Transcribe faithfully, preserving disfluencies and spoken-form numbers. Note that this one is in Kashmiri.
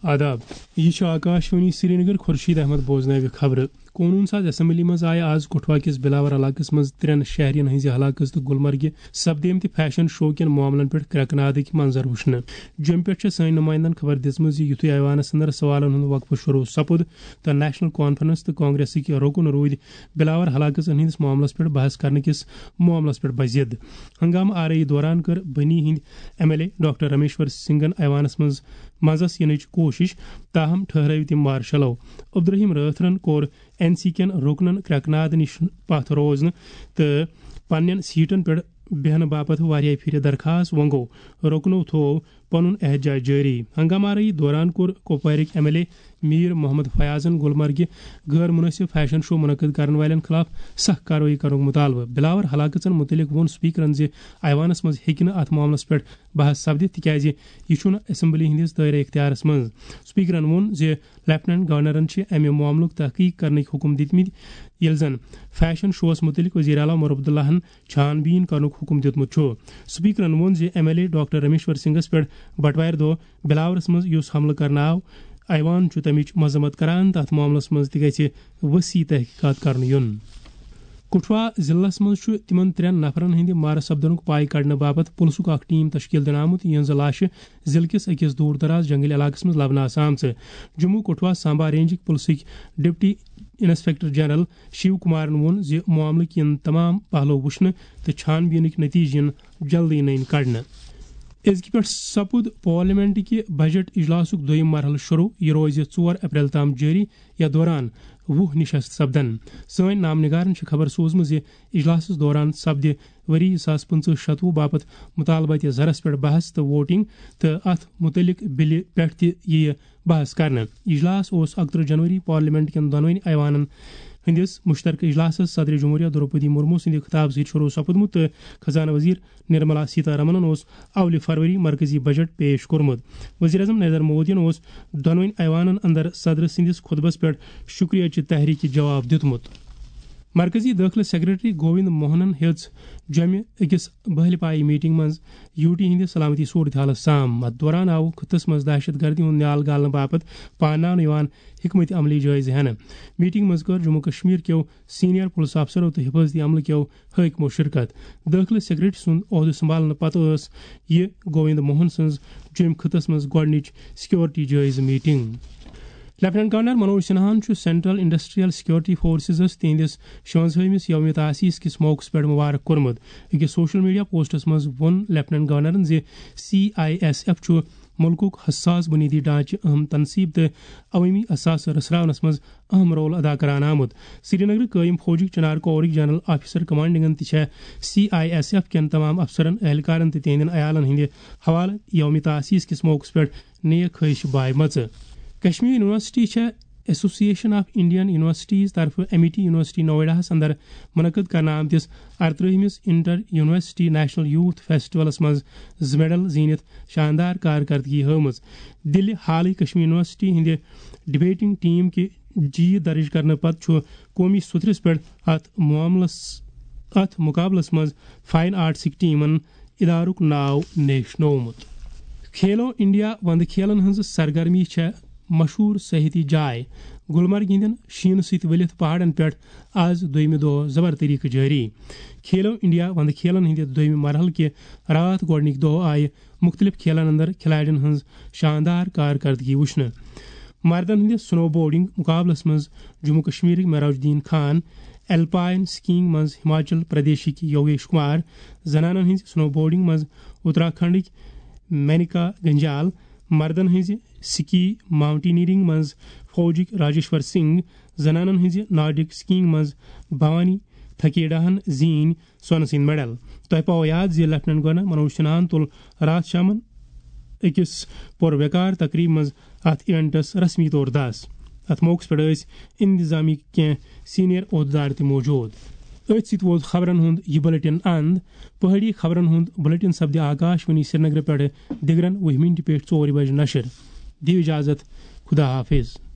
آداب، یہِ چھُ آکاشوانی سرینگر۔ خورشید احمد بوزناوِ خبرٕ۔ قونوٗن ساز اسمبلی منٛز آیہِ آز کٹھوا کِس بلاور علاقس منٛز ترٛٮ۪ن شہرین ہٕنٛزِ ہلاکژ تہٕ گلمرگہِ سپدیمتہِ فیشن شو کٮ۪ن معاملن پٮ۪ٹھ کرٛٮ۪کہٕ نادٕکۍ منظر وٕچھنہٕ۔ جوٚمہِ پٮ۪ٹھ چھےٚ سٲنۍ نمائندن خبر دِژمٕژ زِ یُتھُے ایوانس اندر سوالن ہُنٛد وقفہٕ شروع سپُد تہٕ نیشنل کانفرنس تہٕ کانگریسٕکۍ رُکُن روٗدۍ بلاور ہلاکژن ہٕنٛدِس معاملس پٮ۪ٹھ بحث کرنہٕ کِس معاملس پٮ۪ٹھ بزِد۔ ہنگامہٕ آرٲیی دوران کٔر بنی ہٕنٛدۍ ایم ایل اے ڈاکٹر رمیشور سنگھن ایوانس منٛز منٛزس یِنٕچ کوٗشش، تاہم ٹھہرٲوۍ تِم مارشلو۔ عبدالرحیم رٲتھرن کوٚر این سی کٮ۪ن رُکنن کرٛٮ۪کہٕ ناد نِش پتھ روزنہٕ تہٕ پننٮ۪ن سیٹن پٮ۪ٹھ بیہنہٕ باپتھ واریاہ پھرِ درخاست۔ وۄنۍ گوٚو، رُکنو تھوو پنُن احتجاج جٲری۔ ہنگامہٕ آرٲیی دوران کوٚر کپوارٕکۍ M L A Mir Mohammad فیاضن گلمرگہِ غٲر مناسب فیشن شو منعقد کرن والٮ۪ن خلاف سخت کاروٲیی کرنُک مطالبہٕ۔ بلاور ہلاکژن متعلق ووٚن سپیکرن زِ ایوانس منٛز ہیٚکہِ نہٕ اتھ معاملس پٮ۪ٹھ بحث سپدِتھ، تِکیازِ یہِ چھُنہٕ اسمبلی ہٕنٛدِس دٲیرٕ اختیارس منٛز۔ سپیکرن ووٚن زِ لیفٹیننٹ گورنرن چھِ امہِ معاملُک تحقیق کرنٕکۍ حکم دِتمٕتۍ، ییٚلہِ زن فیشن شوس مُتعلق وزیر اعلیٰ عمر عبداللہن چھان بیٖن کرنُک حکم دیُتمُت چھُ۔ سپیکرن ووٚن زِ ایم ایل اے ڈاکٹر رمیشور سنگھس پٮ۪ٹھ بٹوارِ دۄہ بلاورس منٛز یُس حملہٕ کرنہٕ آو، ایوان چھُ تمِچ مذمت کران، تتھ معاملس منٛز تہِ گژھِ وسیع تحقیقات کرنہٕ یُن۔ کٹھوا ضلعس منٛز چھُ تِمن ترٛٮ۪ن نفرن ہٕنٛدِ مارٕ سپدنُک پاے کڑنہٕ باپتھ پُلسُک اکھ ٹیم تشکیل دِنہٕ آمُت، یِہنٛزٕ لاشہِ ضلعہٕ کِس أکِس دوٗر دراز جنگلی علاقس منٛز لبنہٕ آسہٕ آمژٕ۔ جموں کٹھوا سامبا رینجٕکۍ پُلسٕکۍ ڈپٹی انسپیکٹر جنرل شیو کمارن ووٚن زِ معاملٕکۍ یِن تمام پہلو وٕچھنہٕ تہٕ چھان بیٖنٕکۍ نتیجہٕ یِن جلدی نٔنۍ کڑنہٕ۔ أزکہِ پٮ۪ٹھ سپُد پارلیمنٹ کہِ بجٹ اجلاسُک دوٚیِم مرحلہٕ شروع۔ یہِ روزِ ژور اپریل تام جٲری۔ یتھ دوران وُہ نشست سپدن۔ سٲنۍ نامہ نگارن چھِ خبر سوٗزمٕژ زِ اجلاسس دوران سپدِ ؤری زٕ ساس پٕنٛژٕہ شتوُہ باپتھ مطالباتِ زرس پٮ۪ٹھ بحث تہٕ ووٹنگ، تہٕ اتھ متعلق بلہِ پٮ۪ٹھ تہِ یِیہِ بحث کرنہٕ۔ اجلاس اوس اکترٕہ جنوری پارلیمنٹ کٮ۪ن دۄنوٕنی ایوانن ہٕنٛدِس مشترکہ اجلاسس صدر جمہوریہ دروپدی مرمو سٕنٛدِ خطابہٕ سۭتۍ شروع سپُدمُت تہٕ خزانہٕ وزیر نرملا سیتارمنن اوس اولہِ فروری مرکزی بجٹ پیش کوٚرمُت۔ وزیر اعظم نریندر مودیَن اوس دۄنوٕنی ایوانن اندر صدر سٕنٛدِس خطبس پٮ۪ٹھ شکریہ چہِ تحریکہِ جواب دیُتمُت۔ مرکزی دٲخلہٕ سیکرٹری گووند موہنن ہیٚژ جوٚمہِ أکِس بہلہِ پایہِ میٹنگ منٛز یو ٹی ہٕنٛدِ سلامتی صورتحالس سام۔ اتھ دوران آو خطس منٛز دہشت گردی ہُنٛد نیال گالنہٕ باپتھ پاناونہٕ یِوان حکمت عملی جٲیزٕ ہٮ۪نہٕ۔ میٹنگ منٛز کٔر جموں کشمیر کیو سینئر پُلس افسرو تہٕ حفاظتی عملہٕ کیو حٲکمو شرکت۔ دٲخلہٕ سیکرٹری سُنٛد عہدٕ سنبھالنہٕ پتہٕ ٲس یہِ گووند موہن سٕنٛز جوٚمۍ خطس منٛز گۄڈٕنِچ سیکورٹی جٲیزٕ میٹنگ۔ لیفٹیننٹ گورنر منوج سنہاہن چھُ سینٹرل انڈسٹریل سیکورٹی فورسزس تِہنٛدِس شُونٛزاہمِس یومِ تاسیس کِس موقعس پٮ۪ٹھ مبارک کوٚرمُت۔ أکِس سوشل میڈیا پوسٹس منٛز ووٚن لیفٹیننٹ گورنرن زِ سی آئی ایس ایف چھُ مُلکُک حساس بُنیٲدی ڈھانچہٕ، اہم تنصیب تہٕ عوٲمی اثاثہٕ رژھراونس منٛز اہم رول ادا کران آمُت۔ سرینگرٕ قٲیِم فوجٕکۍ چنار کورٕکۍ جنرل آفیسر کمانڈنگن تہِ چھےٚ سی آئی ایس ایف کٮ۪ن تمام افسرن، اہلکارن تہٕ تِہنٛدٮ۪ن عیالن ہٕنٛدِ حوالہٕ یومِ تاسیس کِس موقعس پٮ۪ٹھ نیک خواہش بایمژٕ۔ کشمیر یونیورسٹی چھےٚ ایسوسیشن آف انڈین یونیورسٹیز طرفہٕ ایمٹی یونیورسٹی نوئیڈاہس اندر منعقد کرنہٕ آمتِس ارترٛہمِس انٹر یونیورسٹی نیشنل یوتھ فیسٹیولس منٛز زٕ میڈل زیٖنِتھ شاندار کارکردگی ہٲومٕژ۔ دِلہِ حالٕے کشمیر یونیورسٹی ہٕنٛدِ ڈبیٹنگ ٹیم کہِ جیٖت درج کرنہٕ پتہٕ چھُ قومی سطحس پٮ۪ٹھ اتھ معاملس، اتھ مقابلس منٛز فائن آرٹسٕکۍ ٹیمن ادارُک ناو نیشنومُت۔ کھیلو انڈیا وندٕ کھیلن ہٕنٛز سرگرمی چھےٚ مشہوٗر سیاحتی جاے گلمرگ ہٕنٛدٮ۪ن شیٖنہٕ سۭتۍ ؤلِتھ پہاڑن پٮ۪ٹھ آز دوٚیمہِ دۄہ زبر طریقہٕ جٲری۔ کھیلو انڈیا وندٕ کھیلن ہٕنٛدِ دوٚیمہِ مرحلہٕ کہِ راتھ گۄڈٕنِکۍ دۄہ آیہِ مُختٔلِف کھیلن اندر کھلاڑٮ۪ن ہٕنٛز شاندار کارکردگی وٕچھنہٕ۔ مردن ہٕنٛدِس سنو بورڈنگ مقابلس منٛز جموں کشمیرٕکۍ معراج الدین خان، الپائن سکیئنگ منٛز ہماچل پردیشٕکۍ یوگیش کمار، زنانن ہٕنٛزِ سنو بورڈنگ منٛز اتراکھنڈٕکۍ مینکا گنجال، مردن ہٕنٛزِ سکی ماؤنٹینئرنگ منٛز فوجٕکۍ راجیشور سنگھ، زنانن ہٕنٛزِ نارڈک سکیئنگ منٛز بھوانی تھکیڈاہن زیٖنۍ سۄنہٕ سٕنٛدۍ میڈل۔ تۄہہِ پاوو یاد زِ لیفٹیننٹ گورنر منوج سنہاہن تُل راتھ شامن أکِس پُر وقار تقریبہِ منٛز اتھ ایونٹس رسمی طور دس۔ اتھ موقعس پٮ۪ٹھ ٲسۍ انتظامی کینٛہہ سینئر عہدٕدار تہِ موجود۔ أتھۍ سۭتۍ ووت خبرن ہُنٛد یہِ بلیٹن اند۔ پہٲڑی خبرن ہُنٛد بلیٹن سپدِ آکاش وانی سرینگرٕ پٮ۪ٹھٕ دِگرن وُہہِ منٹہِ پٮ۪ٹھ ژورِ بجہِ نشر۔ دِیِو اجازت، خدا حافظ۔